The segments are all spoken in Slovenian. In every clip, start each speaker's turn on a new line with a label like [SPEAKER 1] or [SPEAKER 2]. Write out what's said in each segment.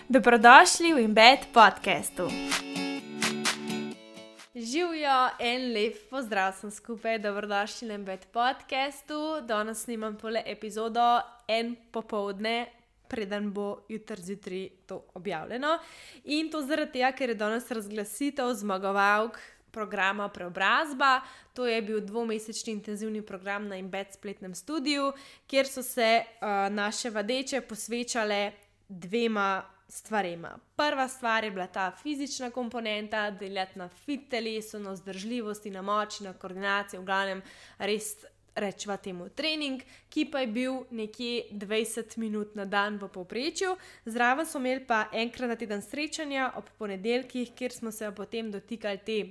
[SPEAKER 1] Dobrodošli v Embed podcastu. Živijo, en lep pozdrav sem skupaj, dobrodošli na Embed podcastu. Danes snimam tole epizodo en popoldne, preden bo jutri zjutraj to objavljeno. In to zaradi tega, ker je danes razglasitev zmagovalk programa Preobrazba. To je bil 2-mesečni intenzivni program na Embed spletnem studiu, kjer so se naše vadeče posvečale dvema stvarema. Prva stvar je bila ta fizična komponenta, delati na fit telesu, na vzdržljivosti, na moči, na koordinaciji, v glavnem res rečeva temu trening, ki pa je bil nekje 20 minut na dan v povprečju. Zraven smo imeli pa enkrat na teden srečanja ob ponedeljkih, kjer smo se potem dotikali te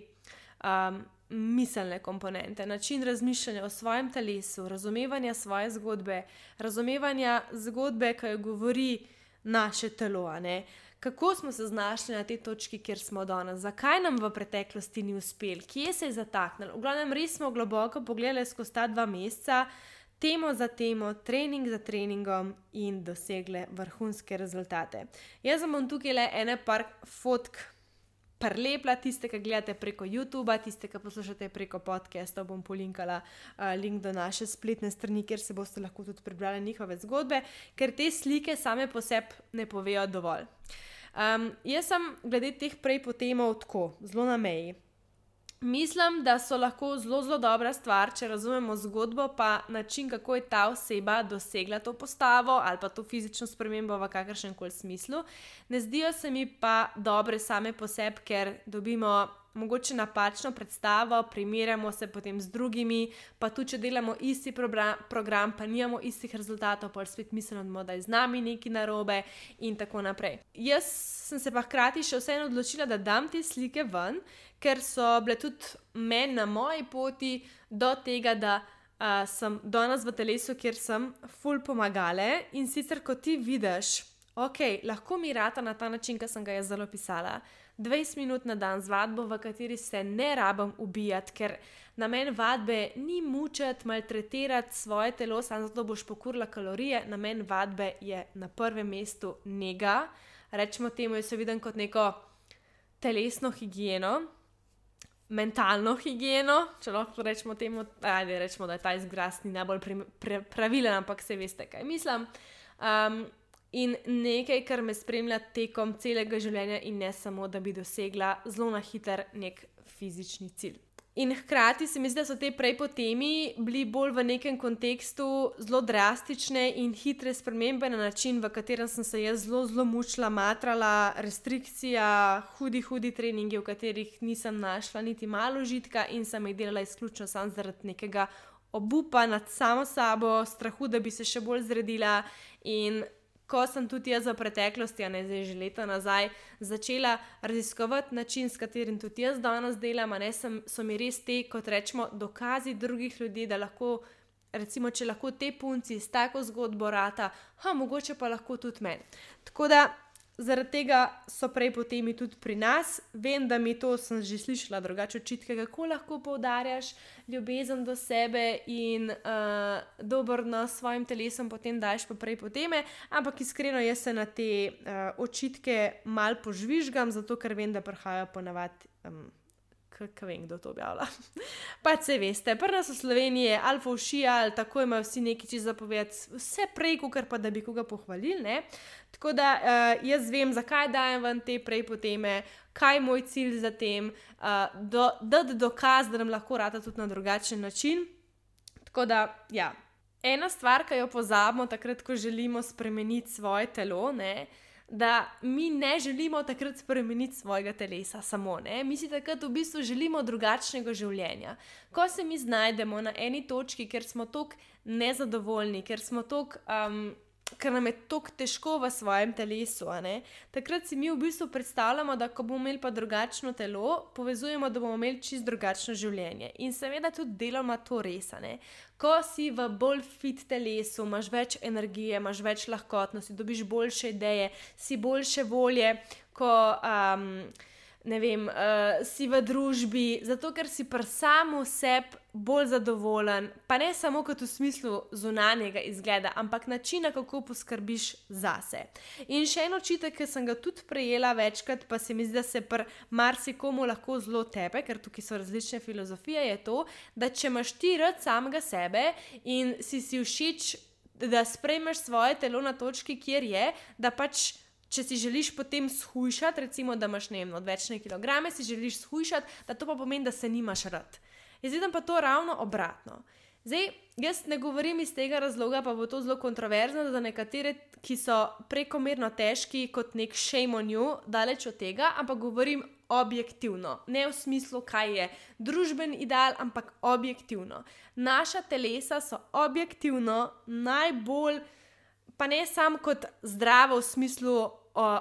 [SPEAKER 1] miselne komponente, način razmišljanja o svojem telesu, razumevanja svoje zgodbe, razumevanja zgodbe, ki jo govori naše telo, ne? Kako smo se znašli na tej točki, kjer smo danes, zakaj nam v preteklosti ni uspel, kje se je zataknilo. V glavnem res smo globoko pogledali skozi ta 2 meseca, temo za temo, trening za treningom in dosegle vrhunske rezultate. Jaz vam tukaj le ene par fotk prelepla, tiste, ki gledate preko YouTubea, tiste, ki poslušate preko podcasta, bom polinkala link do naše spletne strani, kjer se boste lahko tudi prebrali njihove zgodbe, ker te slike same po sebi ne povejo dovolj. Jaz sem glede teh prej potemov tako, zelo na meji. Mislim, da so lahko zelo dobra stvar, če razumemo zgodbo, pa način, kako je ta oseba dosegla to postavo ali pa to fizično spremembo v kakršnem koli smislu. Ne zdijo se mi pa dobre same po sebi, ker dobimo mogoče napačno predstavo, primerjamo se potem z drugimi, pa tudi, če delamo isti program, pa nimamo istih rezultatov, pa spet mislimo, da je z nami nekaj narobe in tako naprej. Jaz sem se pa hkrati še vseeno odločila, da dam te slike ven, ker so bile tudi meni na moji poti do tega, da sem danes v telesu, kjer sem ful pomagale in sicer, ko ti vidiš, ok, lahko mi rata na ta način, ki sem ga jaz zelo pisala, 20 minut na dan z vadbo, v kateri se ne rabim ubijati, ker namen vadbe ni mučiti, maltretirati svoje telo, samo zato boš pokurila kalorije. Namen vadbe je na prvem mestu nega. Rečemo temu, jaz se vidim kot neko telesno higieno, mentalno higieno, če lahko rečemo temu, rečemo, da je ta izraz ni najbolj pravilen, ampak se veste, kaj mislim. In nekaj, kar me spremlja tekom celega življenja in ne samo, da bi dosegla zelo na hiter nek fizični cilj. In hkrati se mi zdi, da so te prej po temi bili bolj v nekem kontekstu zelo drastične in hitre spremembe na način, v katerem sem se jaz zelo mučila, matrala, restrikcija, hudi treningi, v katerih nisem našla niti malo užitka in sem jih delala izključno samo zaradi nekega obupa nad samo sabo, strahu, da bi se še bolj zredila. In ko sem tudi jaz v preteklosti, a ne zdaj že leta nazaj, začela raziskovati način, s katerim tudi jaz danes delam, so mi res te, kot rečemo, dokazi drugih ljudi, da lahko, recimo, če lahko te punci s tako zgodbo rata, mogoče pa lahko tudi meni. Tako da zaradi tega so prej po temi tudi pri nas. Vem, da mi to sem že slišala drugače očitke, kako lahko poudarjaš ljubezen do sebe in dober odnos s svojim telesom, potem daješ pa prej po teme, ampak iskreno jaz se na te očitke malo požvižgam, zato ker vem, da prihajajo ponavadi, kaj vem, kdo to objavlja. Pač se veste, pri nas v Sloveniji je alfa ušija, ali tako imajo vsi nekaj čisto zapovedati, vse prej, kakor pa da bi koga pohvalili, ne. Tako da jaz vem, zakaj dajem ven te prej po teme, kaj je moj cilj za tem, dati dokaz, da nam lahko rata tudi na drugačen način. Tako da, ja. Ena stvar, ki jo pozabimo takrat, ko želimo spremeniti svoje telo, ne, da mi ne želimo takrat spremeniti svojega telesa samo, ne. Mi si takrat v bistvu želimo drugačnega življenja. Ko se mi znajdemo na eni točki, ker smo toliko nezadovoljni, ker nam je toliko težko v svojem telesu, takrat si mi v bistvu predstavljamo, da ko bomo imeli pa drugačno telo, povezujemo, da bomo imeli čisto drugačno življenje. In seveda tudi deloma to res, Ko si v bolj fit telesu, imaš več energije, imaš več lahkotnosti, dobiš boljše ideje, si boljše volje, ko ne vem, si v družbi, zato ker si pri samu sebi bolj zadovoljen, pa ne samo kot v smislu zunanjega izgleda, ampak načina, kako poskrbiš zase. In še en očitek, ki sem ga tudi prejela večkrat, pa se mi zdi, da se pri marsikomu lahko zelo tepe, ker tukaj so različne filozofije, je to, da če imaš ti rad samega sebe in si všeč, da sprejmeš svoje telo na točki, kjer je, da pač če si želiš potem shujšati, recimo, da imaš, ne vem, odvečne kilograme, si želiš shujšati, da to pa pomeni, da se nimaš rad. Jaz vidim pa to ravno obratno. Zdaj, jaz ne govorim iz tega razloga, pa bo to zelo kontroverzno za nekatere, ki so prekomerno težki kot nek shame on you, daleč od tega, ampak govorim objektivno. Ne v smislu, kaj je družben ideal, ampak objektivno. Naša telesa so objektivno najbolj, pa ne samo kot zdravo v smislu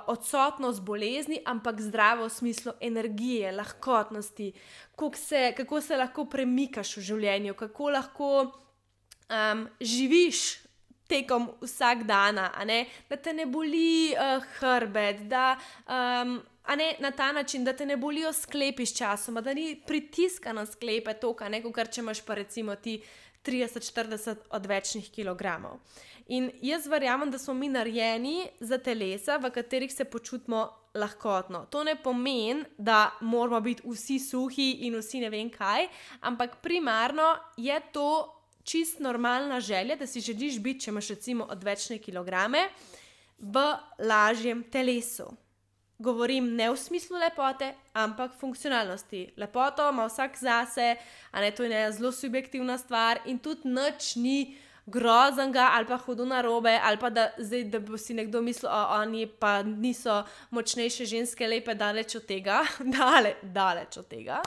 [SPEAKER 1] odsotnost bolezni, ampak zdravo v smislu energije, lahkotnosti, kako se lahko premikaš v življenju, kako lahko živiš tekom vsak dana, da te ne boli hrbet, da na ta način, da te ne bolijo sklepi s časoma, da ni pritiska na sklepe toka, kot če imaš pa recimo ti 30-40 odvečnih kilogramov. In jaz verjamem, da smo mi narejeni za telesa, v katerih se počutimo lahkotno. To ne pomeni, da moramo biti vsi suhi in vsi ne vem kaj, ampak primarno je to čist normalna želja, da si želiš biti, če imaš recimo odvečne kilograme, v lažjem telesu. Govorim ne v smislu lepote, ampak funkcionalnosti. Lepoto ima vsak zase, to je ena zelo subjektivna stvar in tudi nič ni groznega ali pa hudo narobe, ali pa da bo si nekdo mislil, oni pa niso močnejše ženske, lepe, daleč od tega, daleč od tega.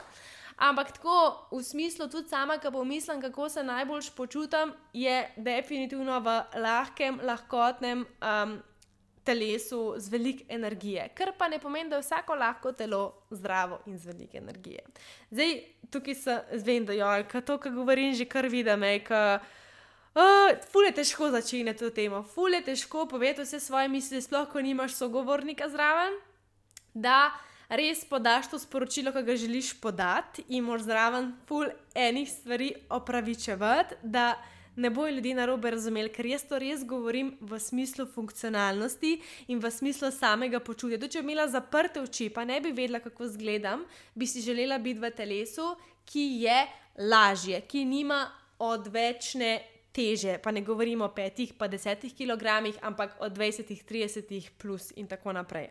[SPEAKER 1] Ampak tako v smislu tudi sama, ko pomislim, kako se najboljš počutim, je definitivno v lahkem, lahkotnem telesu z veliko energije, kar pa ne pomeni, da je vsako lahko telo zdravo in z veliko energije. Zdaj, tukaj vem, da to, kar govorim, že kar vidim, ful je težko začeti to temo, ful je težko povedati vse svoje misli, sploh ko nimaš sogovornika zraven, da res podaš to sporočilo, ki ga želiš podati in moraš zraven ful enih stvari opravičevati, da ne bojo ljudje narobe razumeli, ker jaz to res govorim v smislu funkcionalnosti in v smislu samega počutja. Tudi če bi imela zaprte oči, pa ne bi vedela, kako izgledam, bi si želela biti v telesu, ki je lažje, ki nima odvečne teže, pa ne govorimo o 5 pa 10 kilogramih, ampak o 20, 30 plus in tako naprej,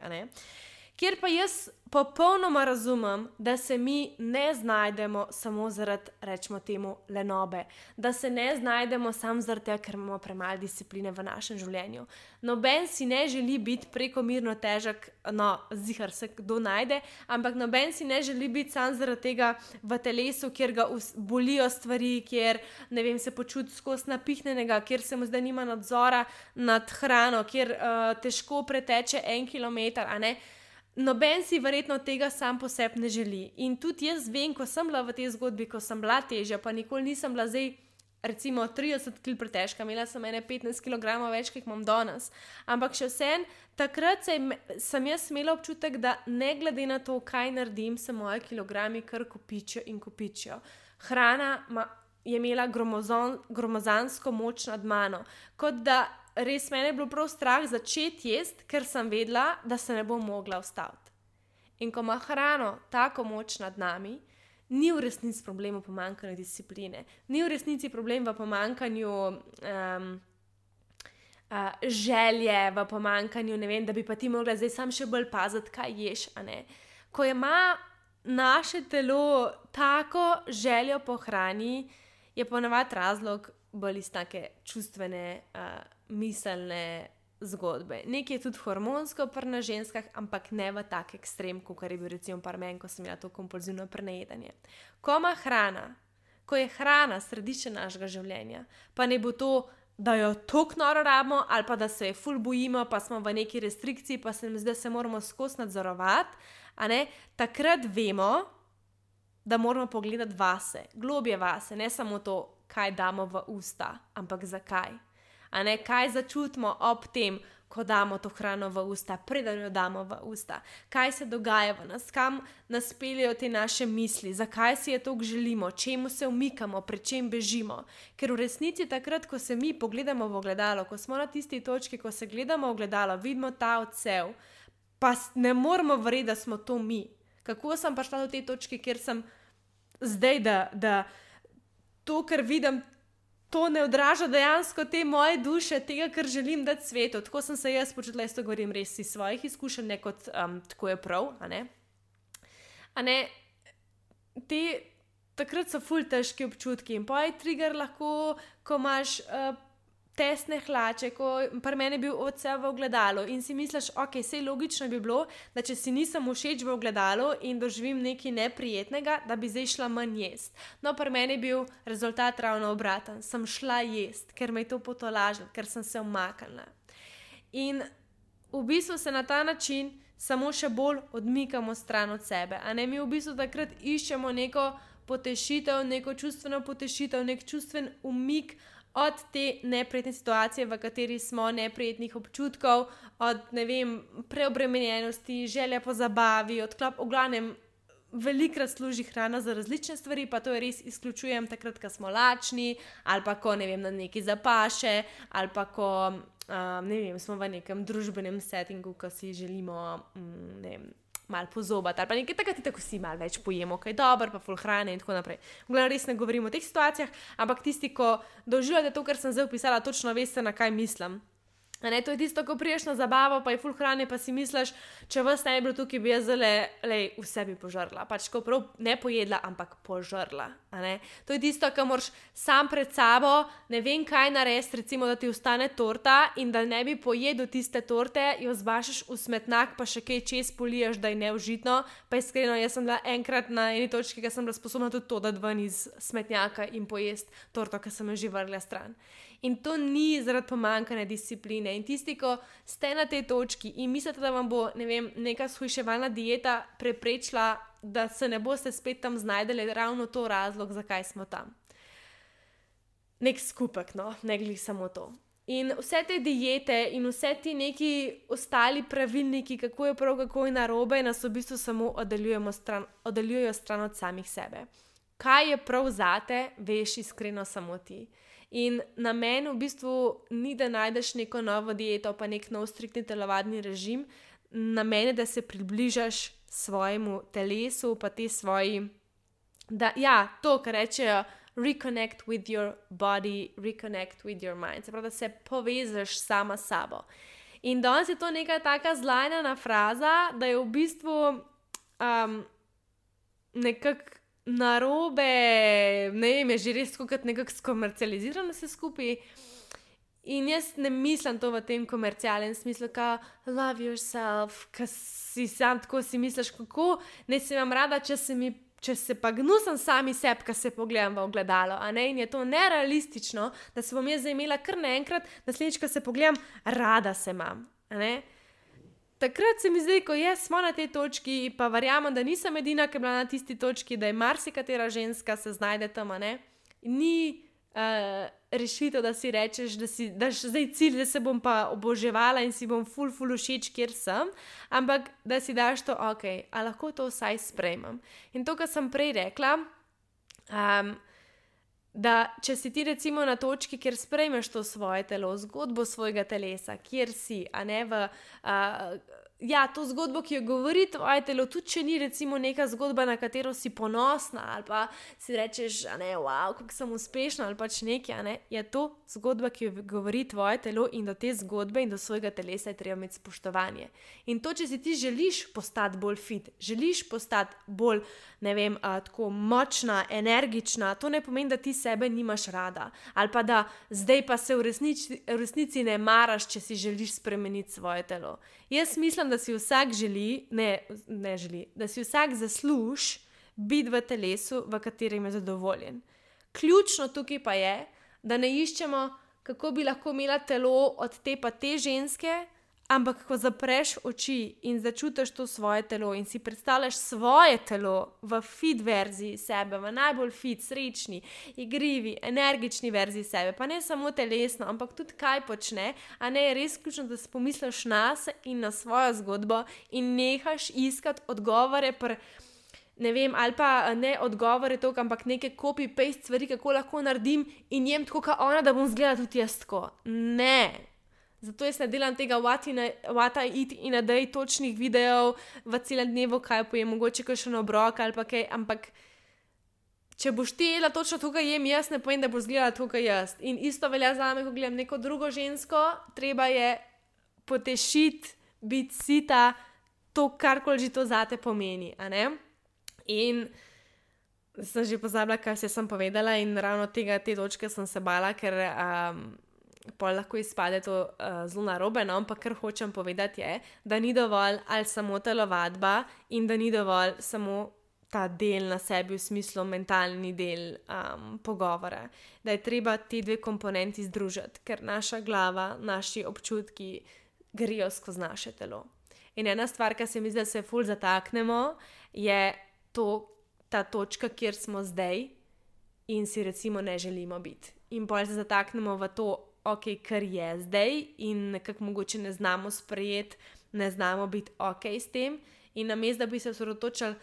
[SPEAKER 1] Kjer pa jaz popolnoma razumem, da se mi ne znajdemo samo zaradi, rečemo temu, lenobe. Da se ne znajdemo samo zaradi tega, ker imamo premalo discipline v našem življenju. Noben si ne želi biti prekomerno težek, ziher se kdo najde, ampak noben si ne želi biti samo zaradi tega v telesu, kjer ga bolijo stvari, kjer, ne vem, se počuti skozi napihnenega, kjer se mu zdaj nima nadzora nad hrano, kjer težko preteče 1 kilometer, Noben si verjetno tega sam po sebi ne želi. In tudi jaz vem, ko sem bila v tej zgodbi, ko sem bila težja, pa nikoli nisem bila zdaj recimo 30 kg pretežka, imela sem 15 kg več, kot imam danes. Ampak še vsem, takrat sem jaz imela občutek, da ne glede na to, kaj naredim, se moji kilogrami kar kopičijo in kopičijo. Hrana je imela gromozansko moč nad mano. Kot da res mene je bilo prav strah začeti jesti, ker sem vedela, da se ne bom mogla ustaviti. In ko ima hrano tako moč nad nami, ni v resnici problem v pomanjkanju discipline, ni v resnici problem v pomanjkanju želje, v pomanjkanju, ne vem, da bi pa ti mogla zdaj sam še bolj paziti, kaj ješ, Ko ima naše telo tako željo po hrani, je ponavadi razlog bolj iz take čustvene, miselne zgodbe. Nekaj je tudi hormonsko pri nas ženskah, ampak ne v tak ekstrem, kot je bil recimo par meni, ko sem imela to kompulzivno prenajedanje. Ko je hrana središče našega življenja, pa ne bo to, da jo toliko noro rabimo, ali pa da se je ful bojimo, pa smo v neki restrikciji, pa se mi zdi, da se moramo skozi nadzorovati, takrat vemo, da moramo pogledati vase, globje vase, ne samo to, kaj damo v usta, ampak zakaj. Kaj začutimo ob tem, ko damo to hrano v usta, preden jo damo v usta, kaj se dogaja v nas, kam nas peljejo te naše misli, zakaj si je toliko želimo, čemu se umikamo, pred čem bežimo. Ker v resnici takrat, ko se mi pogledamo v ogledalo, ko smo na tisti točki, ko se gledamo v ogledalo, vidimo ta odsev, pa ne moramo verjeti, da smo to mi. Kako sem prišla do te točke, kjer sem zdaj, da to, kar vidim, to ne odraža dejansko te moje duše, tega, kar želim dati svetu. Tako sem se jaz počutila, jaz to govorim res iz svojih izkušenj, ne kot tako je prav, a ne? Takrat so ful težki občutki in pa je trigger lahko, ko imaš tesne hlače, ko pri meni je bil odsev v ogledalu in si misliš, ok, sej logično bi bilo, da če si nisem všeč v ogledalu in doživim nekaj neprijetnega, da bi zdaj šla manj jest. No, pri meni je bil rezultat ravno obraten. Sem šla jest, ker me je to potolažilo, ker sem se umaknila. In v bistvu se na ta način samo še bolj odmikamo stran od sebe. A ne, mi v bistvu takrat iščemo neko potešitev, neko čustveno potešitev, nek čustven umik od te neprijetne situacije, v kateri smo, neprijetnih občutkov, od, ne vem, preobremenjenosti, želja po zabavi, odklop, v glavnem, velikrat služi hrana za različne stvari, pa to je res izključujem takrat, ko smo lačni, ali pa ko, ne vem, na neki zapaše, ali pa ko, ne vem, smo v nekem družbenem settingu, ko si želimo, ne vem, malo pozobati, ali pa nekaj takrat, tako si malo več pojemo, kaj dobro, pa ful hrane in tako naprej. V glavnem res ne govorim o teh situacijah, ampak tisti, ko doživljate to, kar sem zdaj opisala, točno veste, na kaj mislim. A ne, to je tisto, ko priješ na zabavo, pa je ful hrane, pa si misliš, če vas ne bi bilo tukaj, bi jaz vse bi požrla. Pač ko prav ne pojedla, ampak požrla. A ne? To je tisto, ko moraš sam pred sabo, ne vem kaj narediti, recimo, da ti ostane torta in da ne bi pojedel tiste torte, jo zbašaš v smetnak, pa še kaj čez poliješ, da je neužitno. Pa iskreno, jaz sem bila enkrat na eni točki, ki sem bila sposobna tudi to dati ven iz smetnjaka in pojesti torto, ki sem jo že vrgla stran. In to ni zaradi pomanjkanja discipline. In tisti, ko ste na tej točki in mislite, da vam bo, ne vem, neka shujševalna dieta preprečila, da se ne boste spet tam znajdeli, ravno to razlog, zakaj smo tam. Nek skupek, no, ne glih samo to. In vse te diete in vse ti neki ostali pravilniki, kako je prav, kako je narobe, nas v bistvu samo oddaljujejo stran od samih sebe. Kaj je prav zate, veš iskreno samo ti. In namen v bistvu ni, da najdeš neko novo dieto, pa nek nov striktni telovadni režim. Namen je, da se približaš svojemu telesu, pa te svoji, to, kar rečejo, reconnect with your body, reconnect with your mind. Se pravi, da se povežeš sama s sabo. In danes je to neka taka zlajnana fraza, da je v bistvu nekako narobe, ne vem, je že res kot nekako skomercializirano vse skupaj. In jaz ne mislim to v tem komercialnem smislu, ka love yourself, ka si sam tako si misliš, kako ne se imam rada, če se pa gnusam sami sebi, ka se pogledam v ogledalo, a ne, in je to nerealistično, da se bom jaz imela kar naenkrat, naslednjič, ko se pogledam, rada se imam, a ne. Takrat se mi zdi, ko smo na tej točki, pa verjamem, da nisem edina, ki je bila na tisti točki, da je marsikatera ženska se znajde tam, a ne. Ni rešitev, da si rečeš, da zdaj cilj, da se bom pa oboževala in si bom ful všeč, kjer sem, ampak da si daš to, ok, a lahko to vsaj sprejmem. In to, kar sem prej rekla, da če si ti recimo na točki, kjer sprejmeš to svoje telo, zgodbo svojega telesa, kjer si, a ne to zgodbo, ki jo govori tvoje telo, tudi če ni recimo neka zgodba, na katero si ponosna ali pa si rečeš, a ne, wow, kako sem uspešna ali pač nekaj, a ne, je to zgodba, ki jo govori tvoje telo in do te zgodbe in do svojega telesa je treba imeti spoštovanje. In to, če si ti želiš postati bolj fit, želiš postati bolj, ne vem, tako močna, energična, to ne pomeni, da ti sebe nimaš rada ali pa da zdaj pa se v resnici ne maraš, če si želiš spremeniti svoje telo. Jaz mislim, da si vsak da si vsak zasluži biti v telesu, v katerem je zadovoljen. Ključno tukaj pa je, da ne iščemo, kako bi lahko imela telo od te pa te ženske Ampak ko zapreš oči in začutiš to svoje telo in si predstavljaš svoje telo v fit verziji sebe, v najbolj fit, srečni, igrivi, energični verziji sebe, pa ne samo telesno, ampak tudi kaj počne, a ne je res ključno, da si pomisliš na se in na svojo zgodbo in nehaš iskati odgovore ne vem, ali pa ne odgovore toliko, ampak neke copy-paste stvari, kako lahko naredim in jem tako kot ona, da bom izgledala tudi jaz tako. Ne. Zato jaz ne delam tega what I eat in a day točnih videov v celem dnevu, kaj pojem, mogoče kakšen obrok ali pa kaj, ampak če boš ti jedla točno to, kar jem jaz, ne povem, da boš izgledala to, kar jaz. In isto velja zame, ko gledam neko drugo žensko, treba je potešiti, biti sita, to karkoli že to zate pomeni, a ne? In sem že pozabila, kaj sem povedala in ravno te točke sem se bala, ker pol lahko izpade to zelo narobe, no, ampak kar hočem povedati je, da ni dovolj ali samo telovadba in da ni dovolj samo ta del na sebi v smislu mentalni del pogovora, da je treba te dve komponenti združiti, ker naša glava, naši občutki grejo skozi naše telo. In ena stvar, ki se mi zdi, da se ful zataknemo, je ta točka, kjer smo zdaj in si recimo ne želimo biti. In pol se zataknemo v to, ok, kar je zdaj in nekako mogoče ne znamo sprejeti, ne znamo biti ok s tem in namesto, da bi se osredotočili,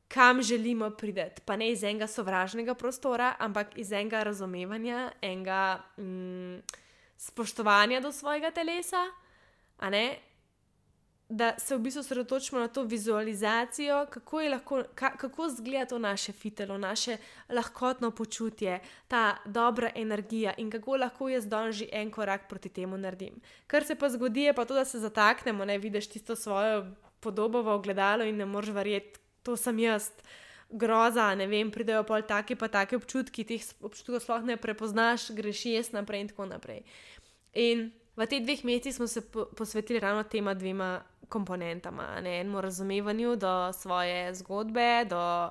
[SPEAKER 1] kam želimo priti, pa ne iz enega sovražnega prostora, ampak iz enega razumevanja, enega spoštovanja do svojega telesa, a ne? Da se v bistvu sredotočimo na to vizualizacijo, kako izgleda to naše fitelo, naše lahkotno počutje, ta dobra energija in kako lahko jaz danes že en korak proti temu naredim. Kar se pa zgodi, je pa to, da se zataknemo, ne vidiš tisto svojo podobo v ogledalo in ne moreš verjeti, to sem jaz, groza, ne vem, pridejo pol take pa take občutki, teh občutkov sploh ne prepoznaš, greš jaz naprej in tako naprej. In v teh 2 mesecih smo se posvetili ravno tema 2 komponentama, enemu razumevanju do svoje zgodbe, do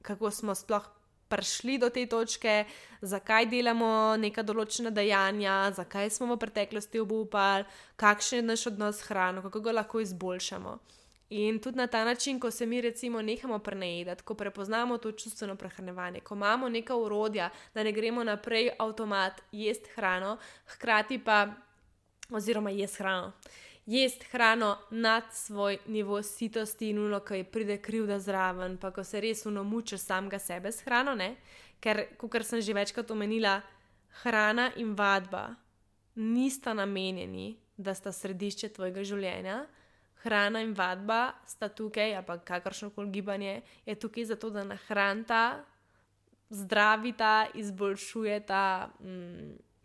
[SPEAKER 1] kako smo sploh prišli do te točke, zakaj delamo neka določena dejanja, zakaj smo v preteklosti obupali, kakšen je naš odnos s hrano, kako ga lahko izboljšamo. In tudi na ta način, ko se mi recimo nehamo prenajedati, ko prepoznamo to čustveno prehranjevanje, ko imamo neka orodja, da ne gremo naprej avtomat jesti hrano, hkrati pa, oziroma jesti hrano nad svoj nivo sitosti in ko pride krivda zraven, pa ko se res mučiš samega sebe s hrano, ne? Ker, kakor sem že večkrat omenila, hrana in vadba nista namenjeni, da sta središče tvojega življenja. Hrana in vadba sta tukaj, ali pa kakršnokoli gibanje, je tukaj zato, da nahranita, zdravita, izboljšujeta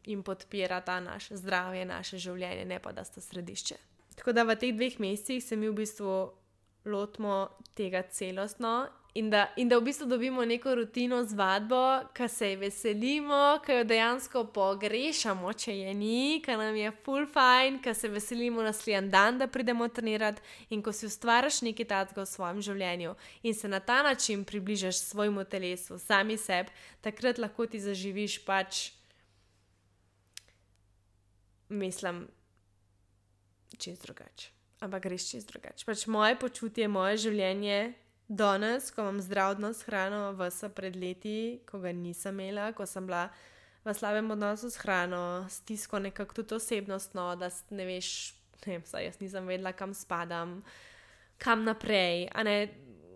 [SPEAKER 1] in podpirata naše zdravje, naše življenje, ne pa da sta središče. Tako da v teh 2 mesecih se mi v bistvu lotimo tega celostno in da v bistvu dobimo neko rutino z vadbo, ki se je veselimo, ki jo dejansko pogrešamo, če je ni, ki nam je ful fajn, ki se veselimo naslednji dan, da pridemo trenirati in ko si ustvariš nekaj takega v svojem življenju in se na ta način približaš svojemu telesu, sami sebi, takrat lahko ti zaživiš mislim, čist drugače. Ampak res čist drugače. Moje počutje, moje življenje danes, ko imam zdrav odnos s hrano, vse pred leti, ko ga nisem imela, ko sem bila v slabem odnosu s hrano, stisko nekako tudi osebnostno, da ne veš, saj jaz nisem vedela, kam spadam, kam naprej, a ne,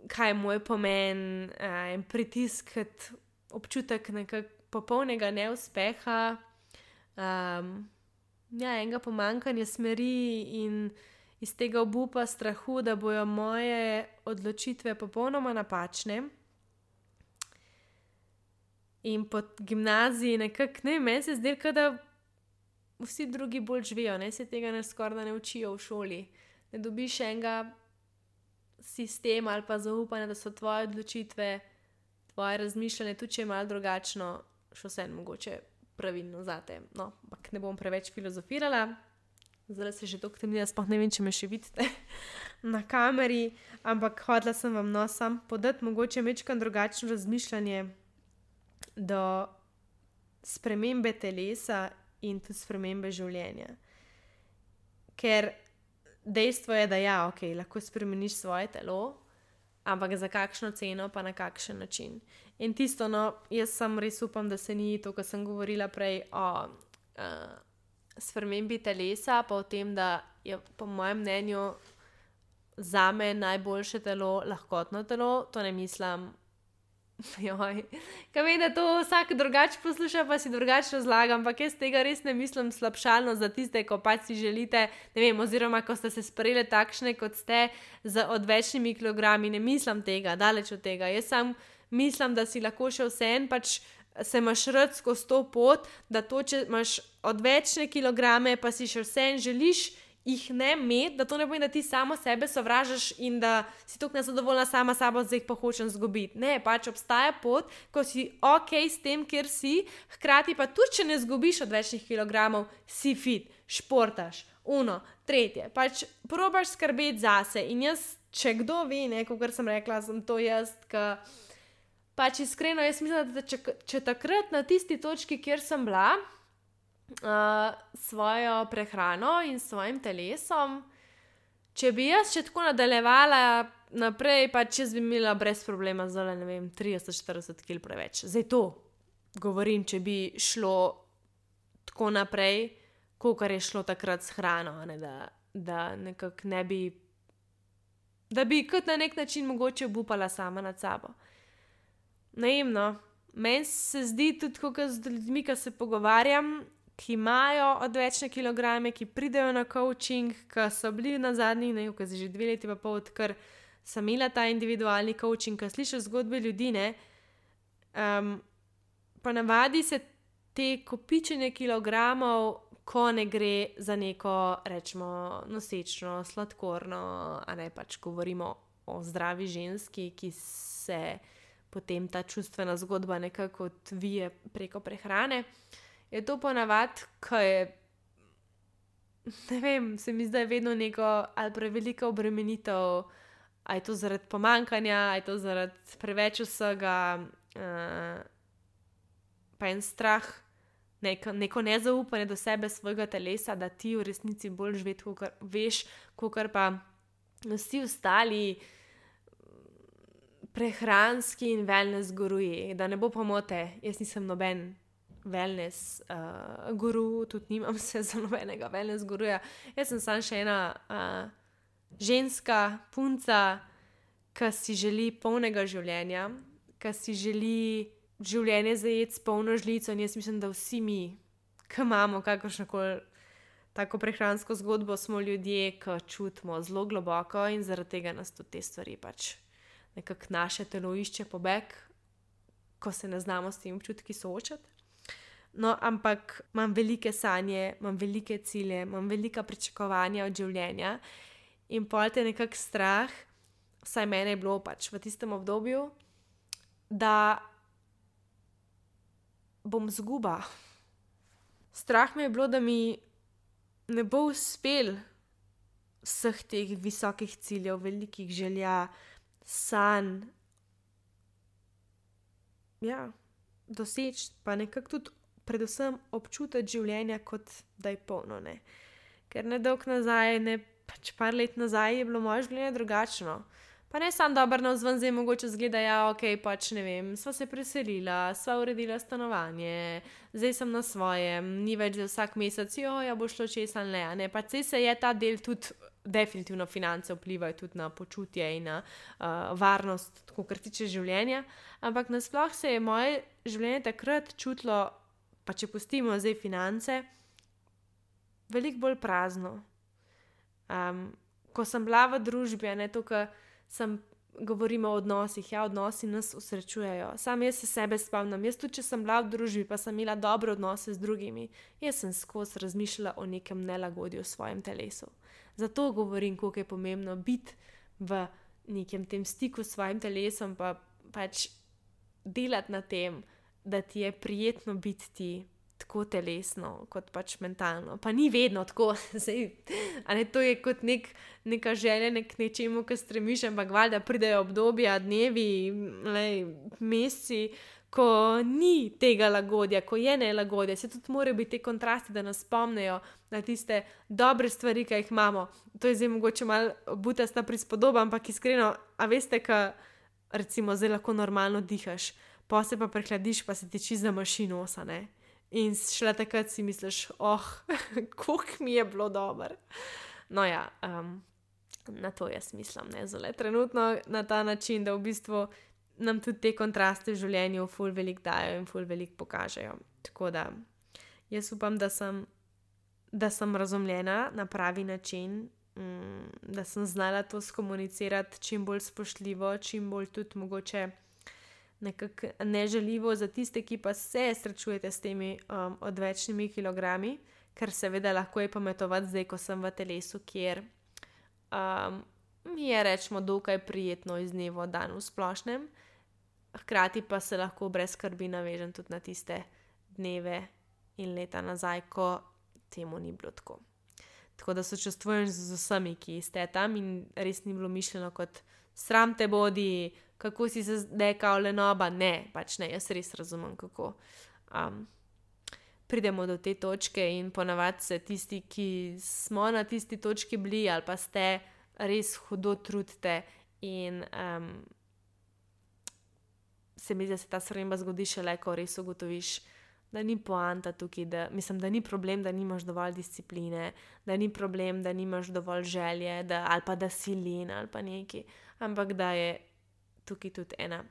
[SPEAKER 1] kaj je moj pomen, in pritisk, občutek nekako popolnega neuspeha, enega pomanjkanja smeri in iz tega obupa, strahu, da bojo moje odločitve popolnoma napačne. In po gimnaziji nekako, meni se zdelo, da vsi drugi bolj živijo, se tega skoraj ne učijo v šoli. Ne dobiš enega sistema ali pa zaupanja, da so tvoje odločitve, tvoje razmišljanje, tudi če je malo drugačno, še vseeno mogoče pravilno zate. No, ampak ne bom preveč filozofirala. Zdaj se že toliko temni, da sploh ne vem, če me še vidite na kameri, ampak hotela sem vam sam podati mogoče majčkeno drugačno razmišljanje do spremembe telesa in tudi spremembe življenja. ker dejstvo je, da ja, ok, lahko spremeniš svoje telo, ampak za kakšno ceno, pa na kakšen način. In tisto, no, jaz sem res upam, da se ni to, kar sem govorila prej o spremembi telesa, pa o tem, da je po mojem mnenju zame najboljše telo lahkotno telo, to ne mislim, joj, kaj vem, da to vsak drugače posluša, pa si drugače razlaga, ampak jaz tega res ne mislim slabšalno za tiste, ko pač si želite, ne vem, oziroma ko ste se sprejeli takšne, kot ste, z odvečnimi kilogrami, ne mislim tega, daleč od tega, jaz sam mislim, da si lahko še vseeno pač se imaš rad skozi to pot, da to, če imaš odvečne kilograme, pa si še vseeno želiš jih ne imeti, da to ne pomeni, da ti samo sebe sovražaš in da si toliko nezadovoljna sama sabo, zdaj jih pa hočem zgubiti. Ne, pač obstaja pot, ko si ok s tem, kjer si, hkrati pa tudi, če ne zgubiš odvečnih kilogramov, si fit, športaš, tretje, pač probaš skrbeti zase in jaz, če kdo ve, ne, kot sem rekla, sem to jaz, ka pač iskreno, jaz mislim, da če takrat na tisti točki, kjer sem bila, svojo prehrano in svojim telesom, če bi jaz še tako nadaljevala naprej, pač jaz bi imela brez problema zdaj, ne vem, 30-40 kg preveč. Zdaj to govorim, če bi šlo tako naprej, kakor je šlo takrat s hrano, ne, da nekako ne bi, da bi kot na nek način mogoče obupala sama nad sabo. Naivno, meni se zdi tudi, kako z ljudmi, ki se pogovarjam, ki imajo odvečne kilograme, ki pridejo na coaching, ki so bili na zadnjih, ne, ki že 2 leti pa pol, odkar sem imela ta individualni coaching, ki slišiš zgodbe ljudi, ne, pa navadi se te kopičenje kilogramov, ko ne gre za neko, rečemo, nosečno, sladkorno, a ne, pač govorimo o zdravi ženski, ki se potem ta čustvena zgodba nekako odvije preko prehrane, je to ponavadi, ko je, ne vem, se mi zdaj vedno neko ali prevelika obremenitev, a je to zaradi pomanjkanja, a je to zaradi preveč vsega, pa en strah, neko nezaupanje do sebe, svojega telesa, da ti v resnici bolj veš, kakor pa vsi ostali prehranski in wellness guruji. Da ne bo pomote, jaz nisem noben wellness guru, tudi nimam se za nobenega wellness guruja. Jaz sem samo še ena ženska, punca, ki si želi polnega življenja, ki si želi življenje zajeti s polno žlico in jaz mislim, da vsi mi, ki imamo kakršnokoli tako prehransko zgodbo, smo ljudje, ki čutimo zelo globoko in zaradi tega nas tudi te stvari pač nekako naše telo išče pobeg, ko se ne znamo s tem občutki soočati. No, ampak imam velike sanje, imam velike cilje, imam velika pričakovanja od življenja in pol te nekako strah, vsaj mene je bilo pač v tistem obdobju, da bom izguba. Strah me je bilo, da mi ne bo uspel vseh teh visokih ciljev, velikih želja, sanj, ja, doseči, pa nekako tudi predvsem občutiti življenja, kot da je polno, ne. Ker ne dolgo nazaj, ne, pač par let nazaj je bilo moje življenje drugačno. Pa ne samo dobro navzven, zdaj mogoče zgleda, ja, ok, pač ne vem, sva se preselila, sva uredila stanovanje, zdaj sem na svojem, ni več za vsak mesec, ja, bo šlo čez ali ne, a ne, pač se je ta del tudi, definitivno finance vplivajo tudi na počutje in na varnost, tako kar tiče življenja, ampak nasploh se je moje življenje takrat čutilo, pa če pustimo zdaj finance, veliko bolj prazno. Ko sem bila v družbi, a ne to, kar govorimo o odnosih, ja, odnosi nas osrečujejo. Sam jaz se sebe spomnim, jaz tudi, če sem bila v družbi, pa sem imela dobre odnose z drugimi, jaz sem skozi razmišljala o nekem nelagodju v svojem telesu. Zato govorim, koliko je pomembno biti v nekem tem stiku s svojim telesom, pa pač delati na tem, da ti je prijetno biti ti tako telesno, kot pač mentalno. Pa ni vedno tako, zdaj, a ne, to je kot neka želja k nečemu, ki stremiš, ampak valjda pridejo obdobja, dnevi, meseci, ko ni tega lagodja, ko je nelagodje, se tudi morajo biti te kontrasti, da nas spomnejo na tiste dobre stvari, ki jih imamo. To je zdaj mogoče malo butasta prispodoba, ampak iskreno, a veste, ka recimo zdaj lahko normalno dihaš, pa se pa prehladiš, pa se ti čisto zamaši nosa, ne? In šele takrat si misliš, koliko mi je bilo dobro. No ja, na to jaz mislim, ne, zelo trenutno na ta način, da v bistvu nam tudi te kontraste v življenju ful veliko dajo in ful veliko pokažejo. Tako da jaz upam, da sem razumljena na pravi način, da sem znala to skomunicirati čim bolj spoštljivo, čim bolj tudi mogoče nekako nežaljivo za tiste, ki pa se srečujete s temi odvečnimi kilogrami, ker seveda lahko je pametovati zdaj, ko sem v telesu, kjer mi je rečemo dokaj prijetno iz dneva v dan v splošnem, hkrati pa se lahko brez skrbi navežem tudi na tiste dneve in leta nazaj, ko temu ni bilo tako. Tako da sočustvujem z vsemi, ki ste tam in res ni bilo mišljeno kot sram te bodi, kako si se zdekal lenoba, ne, pač ne, jaz res razumem, kako pridemo do te točke in ponavadi se tisti, ki smo na tisti točki bili ali pa ste, res hudo trudite in se mi zdi, da se ta sprememba zgodi šele, ko res ugotoviš, da ni poanta tukaj, da ni problem, da nimaš dovolj discipline, da ni problem, da nimaš dovolj želje, ali pa da si len ali pa nekaj, ampak da je tukaj tudi ena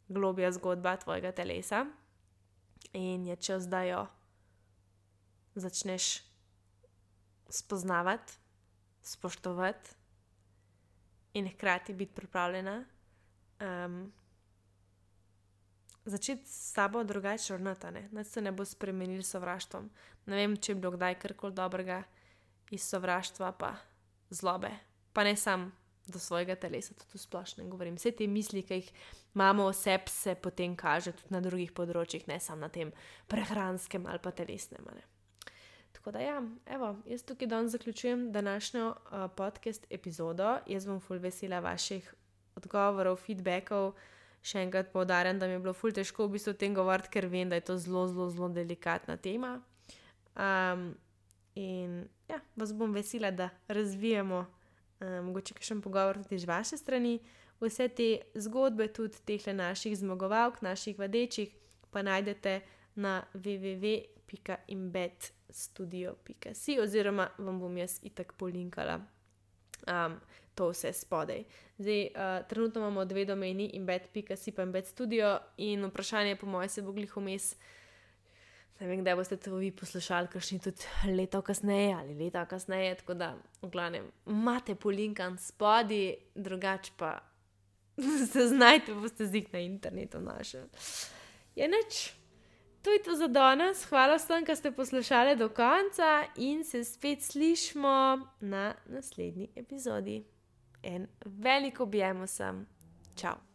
[SPEAKER 1] globja zgodba tvojega telesa in je čas, da jo začneš spoznavati, spoštovati in hkrati biti pripravljena začeti s sabo drugače ravnati, ne? Nič se ne bo spremenil s sovraštvom. Ne vem, če je bilo kdaj karkoli dobrega iz sovraštva pa zlobe. Pa ne sam do svojega telesa, tudi v splošnem govorim. Vse te misli, ki jih imamo o sebi, se potem kaže tudi na drugih področjih, ne samo na tem prehranskem ali pa telesnem, ne? Tako da ja, evo, jaz tukaj danes zaključujem današnjo podcast epizodo. Jaz bom ful vesela vaših odgovorov, feedbackov. Še enkrat poudarjam, da mi je bilo ful težko v bistvu o tem govoriti, ker vem, da je to zelo, zelo, zelo delikatna tema. In ja, vas bom vesela, da razvijamo mogoče kakšen pogovor tudi z vaše strani. Vse te zgodbe, tudi teh naših zmagovalk, naših vadečih, pa najdete na www.embedstudio.si oziroma vam bom jaz itak polinkala to vse spodaj. Zdaj, trenutno imamo 2 domeni, embed.si pa embedstudio in vprašanje po moje se bo glih vmes, ne vem, kdaj boste to vi poslušali, kakšni tudi leto kasneje ali leta kasneje, tako da v glavnem imate polinkan spodaj, drugače pa se znajte, boste zih na internetu našli. Je nič. To je to za danes. Hvala vsem, ki ste poslušali do konca in se spet slišimo na naslednji epizodi. En velik objem vsem. Čau.